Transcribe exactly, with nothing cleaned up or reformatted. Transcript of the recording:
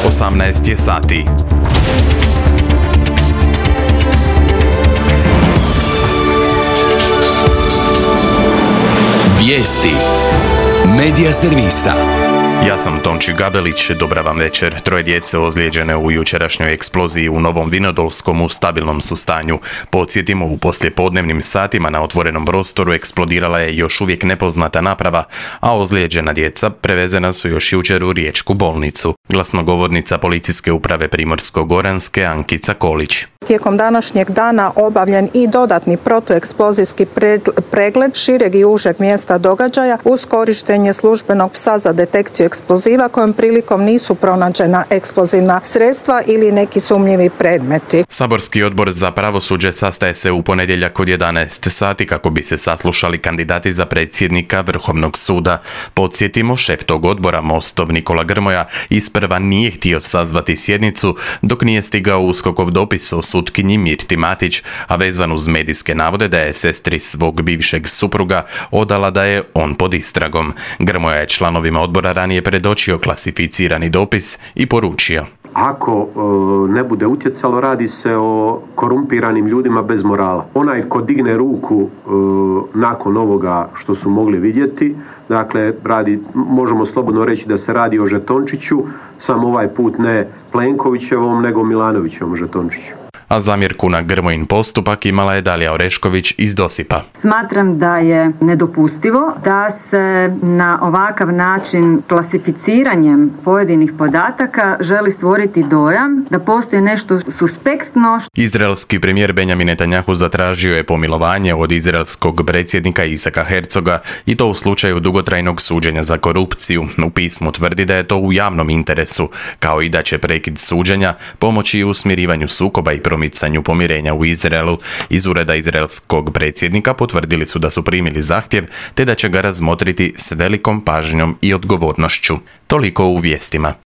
osamnaest je sati. Vijesti Medija servisa. Ja sam Tonči Gabelić, dobra vam večer. Troje djece ozlijeđene u jučerašnjoj eksploziji u Novom Vinodolskom u stabilnom su stanju. Podsjetimo, u poslijepodnevnim satima na otvorenom prostoru eksplodirala je još uvijek nepoznata naprava, a ozlijeđena djeca prevezena su još jučer u riječku bolnicu. Glasnogovornica Policijske uprave Primorsko-goranske Ankica Kolić. Tijekom današnjeg dana obavljen i dodatni protueksplozijski pregled šireg i užeg mjesta događaja uz korištenje službenog psa za detekciju eksploziva kojom prilikom nisu pronađena eksplozivna sredstva ili neki sumnjivi predmeti. Saborski odbor za pravosuđe sastaje se u ponedjeljak od jedanaest sati kako bi se saslušali kandidati za predsjednika Vrhovnog suda. Podsjetimo, šef tog odbora, Mostov Nikola Grmoja, isprva nije htio sazvati sjednicu dok nije stigao USKOK-ov dopis o sutkinji Mirti Matić, a vezan uz medijske navode da je sestri svog bivšeg supruga odala da je on pod istragom. Grmoja je članovima odbora ranije predočio klasificirani dopis i poručio: Ako e, ne bude utjecalo, radi se o korumpiranim ljudima bez morala. Onaj ko digne ruku e, nakon ovoga što su mogli vidjeti, dakle, radi, možemo slobodno reći da se radi o žetončiću, samo ovaj put ne Plenkovićevom, nego Milanovićevom žetončiću. A zamjerku na Grmojin postupak imala je Dalija Orešković iz Dosipa. Smatram da je nedopustivo da se na ovakav način klasificiranjem pojedinih podataka želi stvoriti dojam da postoji nešto suspektno. Izraelski premijer Benjamin Netanjahu zatražio je pomilovanje od izraelskog predsjednika Isaka Herzoga i to u slučaju dugotrajnog suđenja za korupciju. U pismu tvrdi da je to u javnom interesu, kao i da će prekid suđenja pomoći u smirivanju sukoba i promicanju pomirenja u Izraelu. Iz ureda izraelskog predsjednika potvrdili su da su primili zahtjev te da će ga razmotriti s velikom pažnjom i odgovornošću. Toliko u vijestima.